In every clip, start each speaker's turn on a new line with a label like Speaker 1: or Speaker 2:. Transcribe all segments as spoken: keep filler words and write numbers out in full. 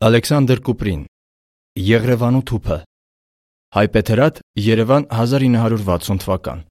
Speaker 1: Ալեքսանդր Կուպրին Եղրևանու թուփը Հայպեթերատ, Երևան հազար ինը հարյուր վաթսուն թվական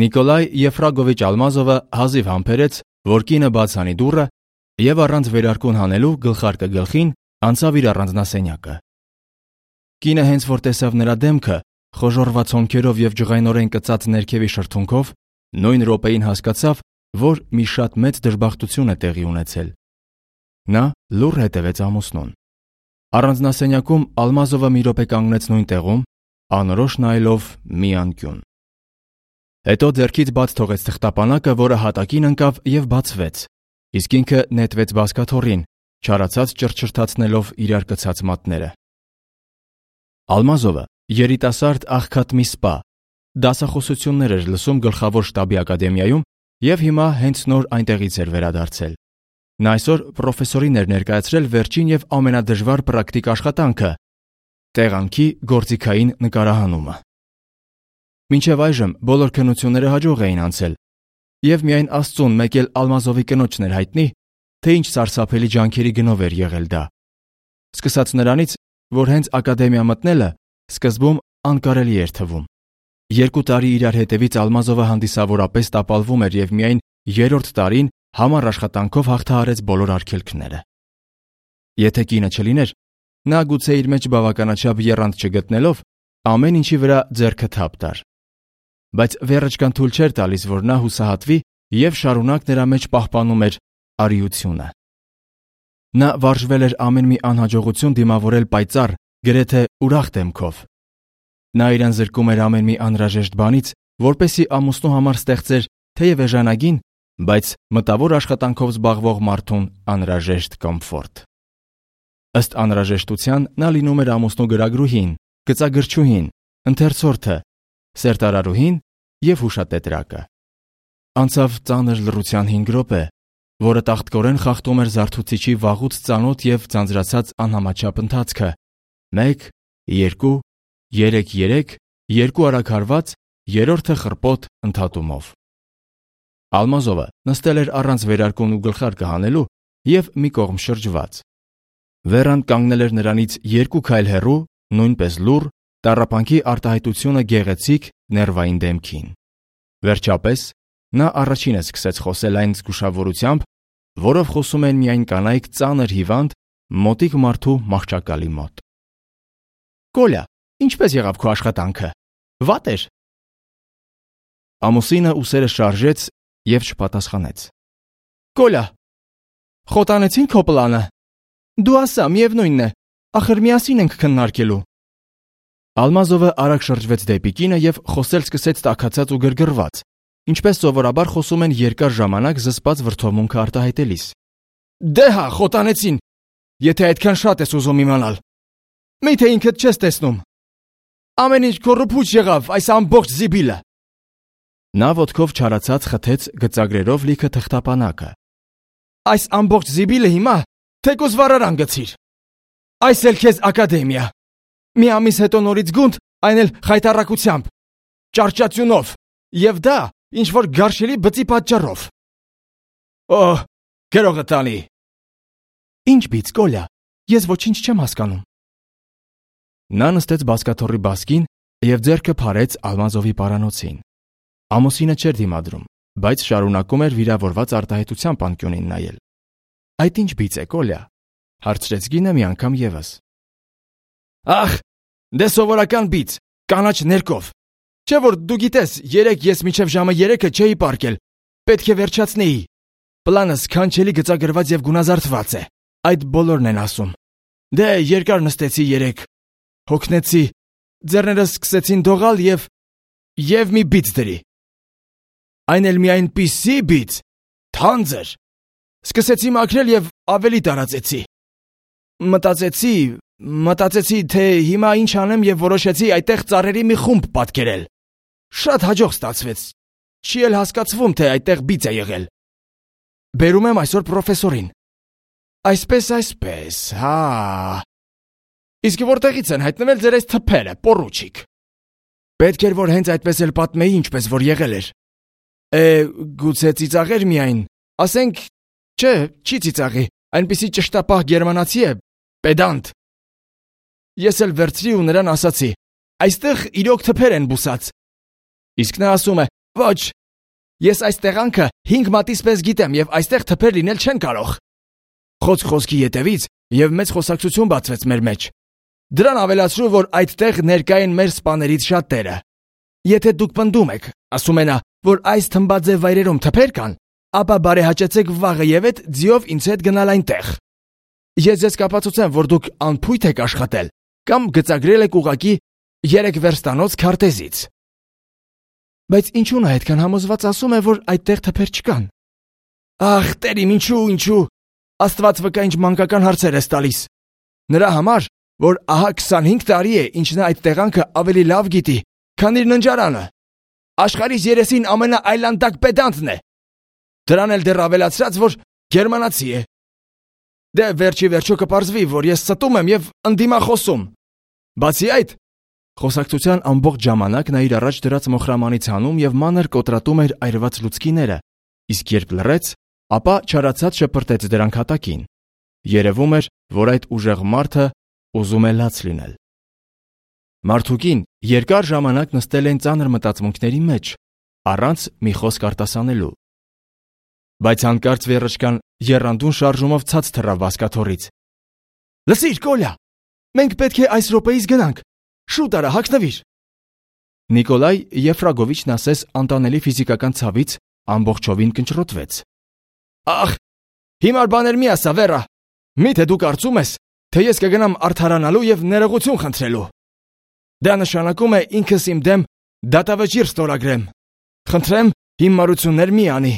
Speaker 1: Նիկոլայ Եֆրագովիչ Ալմազովը հազիվ համբերեց, որ կինը բաց անի դուռը և առանց վերարկուն հանելու գլխարկը գլխին անցավ իր առանձնասենյակը։ Կինը հենց որ տեսավ նրա դեմքը, խոժոռված հոնքերով և ջղայնորեն կծած ներքևի շրթունքով, նույն րոպեին հասկացավ, որ մի շատ մեծ դժբախտություն է տեղի ունեցել։ Նա լուռ հետևեց ամուսնուն։ Առանձնասենյակում Ալմազովը մի րոպե կանգնեց նույն տեղում, անորոշ նայելով մի անկյուն։ Հետո ձեռքից բաց թողեց թղթապանակը, որը հատակին ընկավ և բացվեց, իսկ ինքը նետվեց բազկաթոռին, չարացած ճռչռթացնելով իրար կցած մատները։ Ալմազովը երիտասարդ աղքատ մի սպա, դասախոսություններ էր լսում գլխավոր շտաբի ակադեմիայում և հիմա հենց նոր այնտեղից էր վերադարձել։ Նա այսօր պրոֆեսորին էր ներկայացրել վերջին և ամենադժվար պրակտիկ աշխատանքը՝ տեղանքի գործիքային նկարահանումը։ Մինչև այժմ բոլոր քննությունները հաջող էին անցել, և միայն Աստծուն մեկ էլ Ալմազովի կնոջն էր հայտնի, թե ինչ սարսափելի ջանքերի գնով էր եղել դա։ Սկսած նրանից, որ հենց ակադեմիա մտնելը սկզբում անկարելի էր թվում։ Երկու տարի իրար հետևից Ալմազովը հանդիսավորապես տապալվում էր և միայն երրորդ տարին համառ աշխատանքով հաղթահարեց բոլոր արգելքները։ Եթե կինը չլիներ, նա գուցե իր մեջ բավականաչափ եռանդ չգտնելով ամեն ինչի վրա ձեռքը թափ տար։ Բայց վերջկան թույլ չէր տալիս, որ նա հուսահատվի և շարունակ նրա մեջ պահպանում էր արիությունը։ Նա վարժվել էր ամեն մի անհաջողություն դիմավորել պայծառ, գրեթե ուրախ դեմքով։ Նա իրան զրկում էր ամեն մի անհրաժեշտ բանից, որպեսզի ամուսնու համար ստեղծեր թեև էժանագին, բայց մտավոր աշխատանքով զբաղվող մարդուն անհրաժեշտ կոմֆորտ։ Ըստ անհրաժեշտության նա լինում էր ամուսնու գրագրուհին, գծագրչուհին, ընթերցորդը, սերտարարուհին և հուշատետրակը։ Անցավ ծանր լռության հինգ րոպե, որը տաղտկորեն խախտում էր զարթուցիչի վաղուց ծանոթ և ձանձրացած անհամաչափ ընթացքը՝ մեկ, երկու, երեք, երեք, երկու արագ հարված, երրորդը խռպոտ ընդհատումով։ Ալմազովը նստել էր առանց վերարկուն ու գլխարկը հանելու և մի կողմ շրջված։ Վերան կանգնել էր նրանից երկու քայլ հեռու, նույնպես լուռ, տառապանքի արտահայտությունը գեղեցիկ, ներվային դեմքին։ Վերջապես նա առաջինը սկսեց խոսել այն զգուշավորությամբ, որով խոսում են միայն կանայք ծանր հիվանդ, մոտիկ մարդու մահճակալի մոտ։ «Կոլյա, ինչպե՞ս եղավ քո աշխատանքը։ Վատ էր»։ Ամուսինը ուսերը շարժեց և չպատասխանեց։ «Կոլյա, խոտանեցին քո պլանը։ Դու ասա, միևնույնն է, ախր միասին ենք քննարկելու»։ Ալմազովը արագ շրջվեց դեպի կինը և խոսել սկսեց տաքացած ու գրգռված, ինչպես սովորաբար խոսում են երկար ժամանակ զսպած վրդովմունքը արտահայտելիս։ «Դե հա, խոտանեցին, եթե այդքան շատ ես ուզում իմանալ։ Մի՞թե ինքդ չես տեսնում։ Ամեն ինչ քոռոփուչ եղավ, այս ամբողջ զիբիլը»։ Նա ոտքով չարացած խթեց գծագրերով լիքը թղթապանակը։ «Այս ամբողջ զիբիլը հիմա թեկուզ վառարան գցիր։ Այս էլ քեզ ակադեմիա։ Մի ամիս հետո նորից գունդ, այն էլ խայտառակությամբ, ճարճացյունով, և դա ինչ-որ գարշելի բծի պատճառով։ Օհ, գրողը տանի»։ «Ինչ բիծ, Կոլյա, ես ոչինչ չեմ հասկանում»։ Նա նստեց բազկաթոռի բազկին և ձեռքը փարեց Ալմազովի պարանոցին։ Ամուսինը չէր դիմադրում, բայց շարունակում էր վիրավորված արտահայտությամբ անկյունին նայել։ «Այդ ինչ բիծ է, Կոլյա», հարցրեց կինը մի անգամ ևս։ «Ախ, դե սովորական բիծ, կանաչ ներկով։ Չէ՞ որ դու գիտես, երեկ ես մինչև ժամը երեքը չէի պառկել, պետք է վերջացնեի։ Պլանը սքանչելի գծագրված և գունազարդված է, այդ բոլորն են ասում։ Դե երկար նստեցի երեկ, հոգնեցի, ձեռներս սկսեցին դողալ և… և մի բիծ դրի։ Այն էլ մի այնպիսի բիծ, թանձր։ Սկսեցի մաքրել և ավելի տարածեցի։ Մտածեցի, մտածեցի, թե հիմա ինչ անեմ և որոշեցի այդտեղ ծառերի մի խումբ պատկերել։ Շատ հաջող ստացվեց, չի էլ հասկացվում, թե այդտեղ բիծ է եղել։ Բերում եմ այսօր պրոֆեսորին։ Այսպես, այսպես, հա… Իսկ որտեղից են հայտնվել ձեր այս թփերը, պոռուչիկ։ Պետք էր, որ հենց այդպես էլ պատմեի, ինչպես որ եղել էր։ Է, գուցե ծիծաղեր միայն, ասենք, չէ, չի ծիծաղի, այնպիսի ճշտապահ գերմանացի է, պեդանտ։ Ես էլ վերցրի ու նրան ասացի. այստեղ իրոք թփեր են բուսած։ Իսկ նա ասում է. ոչ, ես այս տեղանքը հինգ մատից պես գիտեմ եւ այստեղ թփեր լինել չեն կարող։ Խոսք խոսքի ետևից եւ մեծ խոսակցություն բացվեց մեր մեջ։ Դրան ավելացրու, որ այդտեղ ներկա են մեր սպաներից շատերը։ Եթե դուք պնդում եք, ասում է նա, որ այս թմբաձև վայրերում թփեր կան, ապա բարեհաճեցեք վաղը եւ այդ ձիով ինձ հետ գնալ այնտեղ։ Ես ձեզ կապացուցեմ, որ դուք անփույթ եք աշխատել կամ գծագրել եք ուղակի երեք վերստանոց քարտեզից։ Բայց ինչու նա այդքան համոզված ասում է, որ այդտեղ թփեր չկան։ Ախ, տերիմ, ինչու, ինչու։ Աստված վկա ինչ մանկական հարցեր ես տալիս։ Նրա համար, որ ահա քսանհինգ տարի է, ինչ նա այդ տեղանքը ավելի լավ գիտի, քան իր ննջարանը։ Աշխարհիս երեսին ամենաայլանդակ պեդանտն է։ Դրան էլ դեռ ավելացրած, որ գերմանացի է։ Դե վերջի վերջո կպարզվի, որ ես ստում եմ եւ ընդդիմախոսում։ Բացի այդ, խոսակցության ամբողջ ժամանակ նա իր առաջ դրած մոխրամանից հանում եւ մանր կոտրատում էր այրված լուցկիները, իսկ երբ լռեց, ապա չարացած շպրտեց դրանք հատակին։ Երևում էր, որ այդ ուժեղ մարդը ուզում է լաց լինել։ Մարդուկին երկար ժամանակ նստել են ծանր մտածմունքների մեջ, առանց մի խոսք արտասանելու։ Բայց հանկարծ վերջկան եռանդուն շարժումով ցած թռավ վասկաթոռից։ Լսիր, Կոլյա, մենք պետք է այս րոպեից գնանք։ Շուտ արա, հագնվիր։ Նիկոլայ Եֆրագովիչն ասես անտանելի ֆիզիկական ցավից ամբողջովին կնճռոտվեց։ Ախ, հիմար բաներ մի ասա, Վերա։ Միթե դու կարծում ես, թե ես կգնամ արդարանալու եւ ներողություն խնդրելու։ Դա նշանակում է ինքս իմ դեմ դատավճիռ ստորագրեմ։ Խնդրեմ, հիմարություններ մի անի։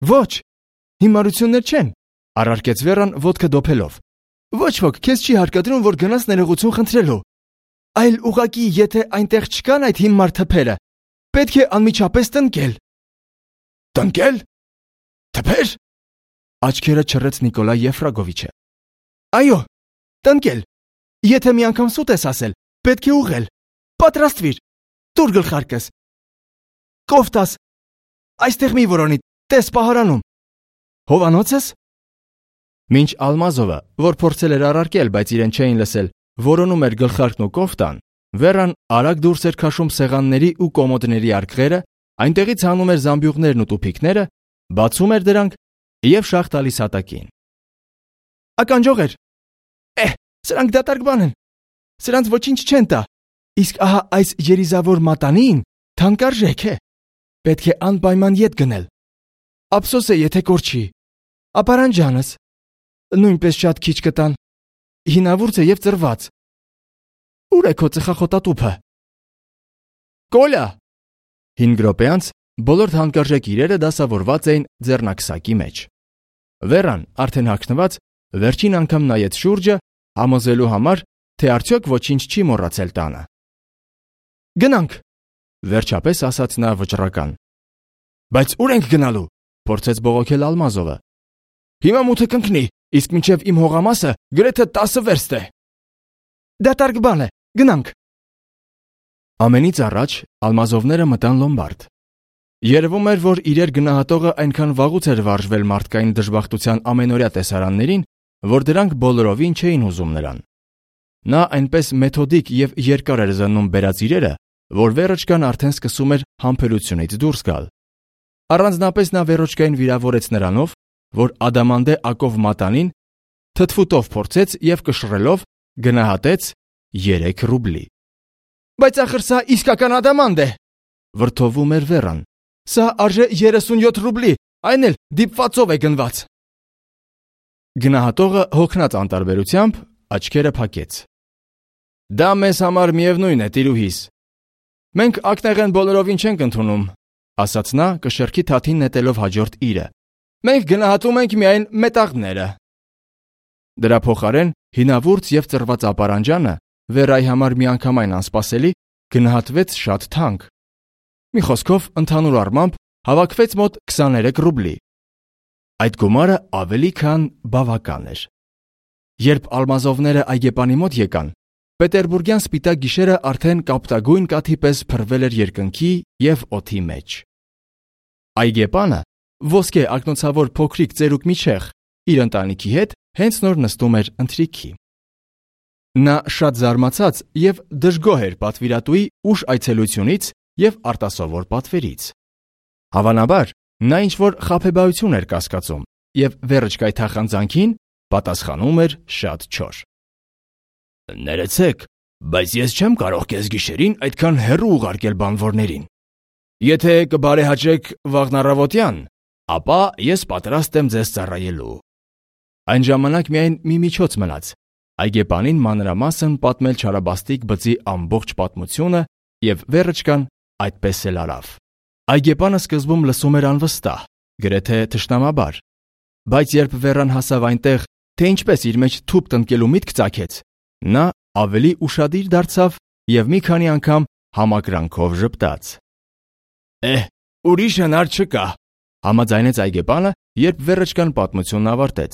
Speaker 1: Ոչ, հիմարություններ չեն, առարկեց Վերան ոտքը դոփելով։ Ոչ ոք քեզ չի հարկադրում, որ գնաս ներողություն խնդրելու։ Այլ ուղակի, եթե այնտեղ չկան այդ հիմար թփերը, պետք է անմիջապես տնկել։ Տնկել։ Թփեր։ Աչքերը չռեց Նիկոլայ Եֆրագովիչը։ Այո, տնկել։ Եթե մի անգամ սուտ ես ասել, պետք է ուղղել։ Պատրաստվիր։ Տուր գլխարկս։ Կոֆտաս։ Այստեղ մի որոնի, տես պահարանում։ Հովանոցս։ Մինչ Ալմազովը, որ փորձել էր առարկել, բայց իրեն չէին լսել, որոնում էր գլխարկն ու կոֆտան, Վերան արագ դուրս էր քաշում սեղանների ու կոմոդների արկղերը, այնտեղից հանում էր զամբյուղներն ու տուփիկները, բացում էր դրանք եւ շաղ տալիս հատակին։ Ականջողեր։ Է, սրանք դատարկ բան են։ Սրանց ոչինչ չեն տա։ Իսկ ահա այս երիզավոր մատանին թանկարժեք է։ Պետք է անպայման ետ գնել։ Ափսոս է, եթե կորչի։ Ապարանջանս նույնպես շատ քիչ կտան։ Հինավուրց է եւ ծրված։ Ուր է քո ծխախոտատուփը։ Կոլա։ Հինգ րոպե անց բոլոր թանկարժեք իրերը դասավորված էին ձեռնակսակի մեջ։ Վերան, արդեն հագնված, վերջին անգամ նայեց շուրջը, համոզելու համար, թե արդյոք ոչինչ չի մոռացել տանը։ Գնանք, վերջապես ասաց նա վճռական։ Բայց ուր ենք գնալու, փորձեց բողոքել Ալմազովը։ Հիմա մութը կընկնի, իսկ մինչև իմ հողամասը գրեթե տասը վերստ է։ Դատարկ բան է, գնանք։ Ամենից առաջ Ալմազովները մտան լոմբարդ։ Երևում էր, որ իրեր գնահատողը այնքան վաղուց էր վարժվել մարդկային դժբախտության ամենօրյա տեսարաններին, որ դրանք բոլորովին չէին հուզում նրան։ Նա այնպես մեթոդիկ եւ երկար էր զննում բերած իրերը, որ Վերոչկան արդեն սկսում էր համբերությունից դուրս գալ։ Առանձնապես նա Վերոչկային վիրավորեց նրանով, որ ադամանդե ակով մատանին թթվուտով փորձեց եւ կշռելով գնահատեց երեք ռուբլի։ Բայց ախր սա իսկական ադամանդ է, վրդովում էր Վերան։ Սա արժե երեսունյոթ ռուբլի, այն էլ դիպվածով է գնված։ Գնահատողը հոգնած անտարբերությամբ աչքերը փակեց։ Դա մեզ համար միևնույն է, տիրուհիս։ Մենք ակնեղեն բոլորովին չենք ընդունում, ասաց նա կշեռքի թաթին նետելով հաջորդ իրը։ Մենք գնահատում ենք միայն մետաղները։ Դրա փոխարեն հինավուրց եւ ծրված ապարանջանը Վերայի համար միանգամայն անսպասելի գնահատվեց շատ թանկ։ Մի խոսքով ընդհանուր առմամբ հավաքվեց մոտ քսաներեք ռուբլի։ Այդ գումարը ավելի քան բավական էր։ Երբ Ալմազովները այգեպանի մոտ եկան, Պետերբուրգյան սպիտակ գիշերը արդեն կապտագույն կաթի պես փռվել էր երկնքի եւ օդի մեջ։ Այգեպանը ոսկե ակնոցավոր փոքրիկ ծերուկ մի չեղ, իր ընտանիքի հետ հենց նոր նստում էր ընթրիքի։ Նա շատ զարմացած և դժգոհ էր պատվիրատուի ուշ այցելությունից և արտասովոր պատվերից։ Հավանաբար, նա ինչ-որ խաբեբայություն էր կասկածում և վերջկայ թախանձանքին պատասխանում էր շատ չոր. «Ներեցեք, բայց ես չեմ կարող կես գիշերին այդքան հեռու ուղարկել բանվորներին։ Եթե կբարեհաճեք վաղն առավոտյան, ապա ես պատրաստ եմ ձեզ ծառայելու»։ Այն ժամանակ միայն մի միջոց մնաց՝ այգեպանին մանրամասն պատմել չարաբաստիկ բծի ամբողջ պատմությունը, և վեռճկան այդպես էլ արավ։ Այգեպանը սկզբում լսում էր անվստահ, գրեթե թշնամաբար, բայց երբ Վերան հասավ այնտեղ, թե ինչպես իր մեջ թուղթ տնկելու միտք ծագեց, նա ավելի ուշադիր դարձավ և մի քանի անգամ համակրանքով ժպտաց։ «Էհ, ուրիշ հնար չկա», համաձայնեց այգեպանը, երբ վեռճկան պատմությունն ավարտեց։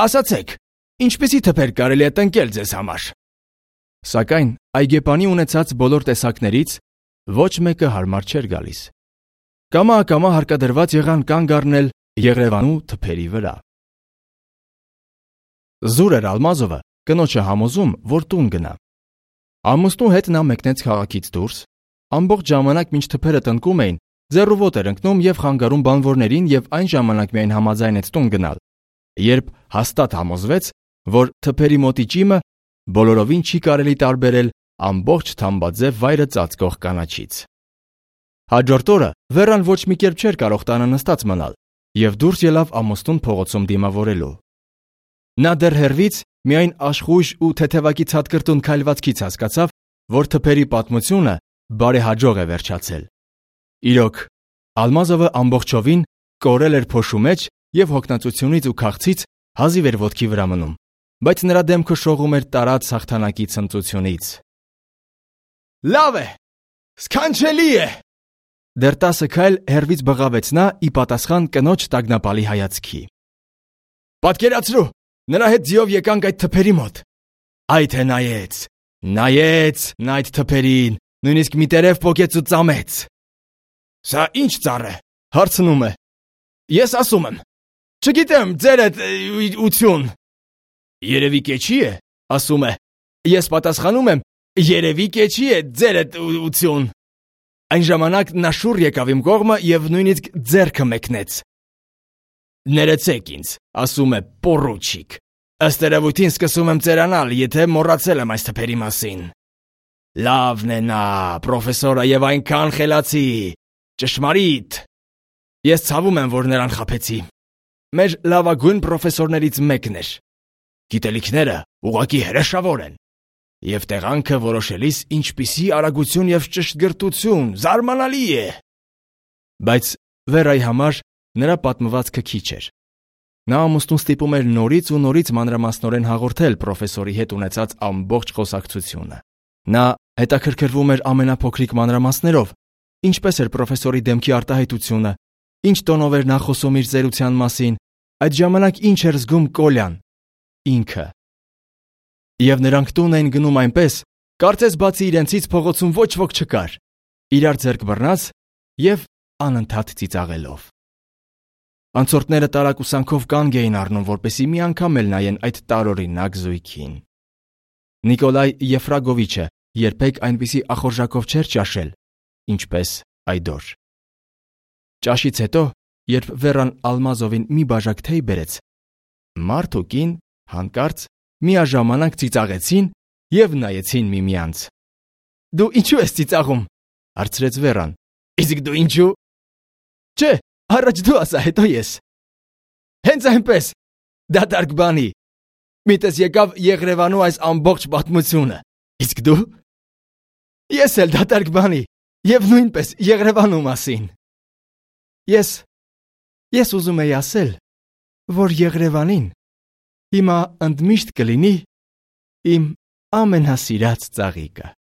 Speaker 1: «Ասացեք, ինչպիսի թփեր կարելի է տնկել ձեզ համար»։ Սակայն այգեպանի ունեցած բոլոր տեսակներից ոչ մեկը հարմար չէր գալիս։ Կամա-ակամա հարկադրված եղան կանգ առնել Եղևանու թփերի վրա։ Զուր էր Ալմազովը կնոջը համոզում, որ տուն գնա։ Ամուսնու հետ նա մեկնեց քաղաքից դուրս, ամբողջ ժամանակ մինչ թփերը տնկում էին, ձեռուոտ էր ընկնում և խանգարում բանվորներին և այն ժամանակ միայն համաձայնեց տուն գնալ, երբ հաստատ համոզվեց, որ թփերի մոտի ճիմը բոլորովին չի կարելի տարբերել ամբողջ թամբաձև վայրը ծածկող կանաչից։ Հաջորդ օրը Վերան ոչ մի կերպ չէր կարող տանը նստած մնալ և դուրս ելավ ամուսնուն փողոցում դիմավորելու։ Նա դեռ հեռվից միայն աշխույժ ու թեթևակի ցատկրտուն քայլվածքից հասկացավ, որ թփերի պատմությունը բարեհաջող է վերջացել։ Իրոք, Ալմազովը ամբողջովին կորել էր փոշու մեջ և հոգնածությունից ու քաղցից հազիվ էր ոտքի վրա մնում, բայց նրա դեմքը շողում էր տարած հաղթանակի ցնծությունից։ «Լավ է, սքանչելի է», դեռ տասը քայլ հեռվից բղավեց նա ի պատասխան կնոջ տագնապալի հայացքի։ «Պատկերացրու, նրա հետ ձիով եկանք այդ թփերի մոտ։ Այ թե նայեց, նայեց նա այդ թփերին, նույնիսկ մի տերև պոկեց ու ծամեց»։ «Սա ի՞նչ ծառ է», հարցնում է։ «Ես ասում եմ, չգիտեմ, ձերդ ուություն»։ «Երևի կեչի է», ասում է։ Ես պատասխանում եմ. «Երևի կեչի է, ձերդ ուություն»։ Այն ժամանակ նա շուռ եկավ իմ կողմը և նույնիսկ ձեռքը մեկնեց։ «Ներեցեք ինձ», ասում է, պոռուչիկ, ըստ երևույթին սկսում եմ ծերանալ, եթե մոռացել եմ այս թփերի մասին։ Լավն է նա, պրոֆեսորը, և այնքան խելացի, ճշմարիտ։ Ես ցավում եմ, որ նրան խաբեցի։ Մեր լավագույն պրոֆեսորներից մեկն էր։ Գիտելիքները ուղղակի հրեշավոր են։ Եվ տեղանքը որոշելիս ինչպիսի արագություն և ճշգրտություն, զարմանալի է։ Բայց Վերայի համար նրա պատմվածքը քիչ էր։ Նա ամուսնուն ստիպում էր նորից ու նորից մանրամասնորեն հաղորդել պրոֆեսորի հետ ունեցած ամբողջ խոսակցությունը։ Նա հետաքրքրվում էր ամենափոքրիկ մանրամասներով, ինչպես էր պրոֆեսորի դեմքի արտահայտությունը, ինչ տոնով էր նա խոսում իր ծերության մասին, այդ ժամանակ ինչ էր զգում Կոլյան, ինքը։ Եվ նրանք տուն էին գնում այնպես, կարծես բացի իրենցից փողոցում ոչ ոք չկար, իրար ձեռք բռնած և անընդհատ ծիծաղելով։ Անցորդները տարակուսանքով կանգ էին առնում, որպեսզի մի անգամ էլ նայեն այդ տարօրինակ զույգին։ Նիկոլայ Եֆրագովիչը երբեք այնպիսի ախորժակով չէր ճաշել, ինչպես այդ օր։ Ճաշից հետո, երբ Վերան Ալմազովին մի բաժակ թեյ բերեց, մարդ ու կին հանկարծ միաժամանակ ծիծաղեցին և նայեցին միմյանց։ «Դու ինչու ես ծիծաղում», հարցրեց Վերան։ «Իսկ դու ինչու»։ «Չէ, առաջ դու ասա, հետո ես»։ «Հենց այնպես, դատարկ բանի։ Միտես եկավ Եղրևանու այս ամբողջ պատմությունը։ Իսկ դու»։ «Ես էլ դատարկ բանի, և նույնպես Եղրևանու մասին»։ Ես, ես ուզում էի ասել, որ Եղրևանին հիմա ընդմիշտ կլինի իմ ամենասիրած ծաղիկը։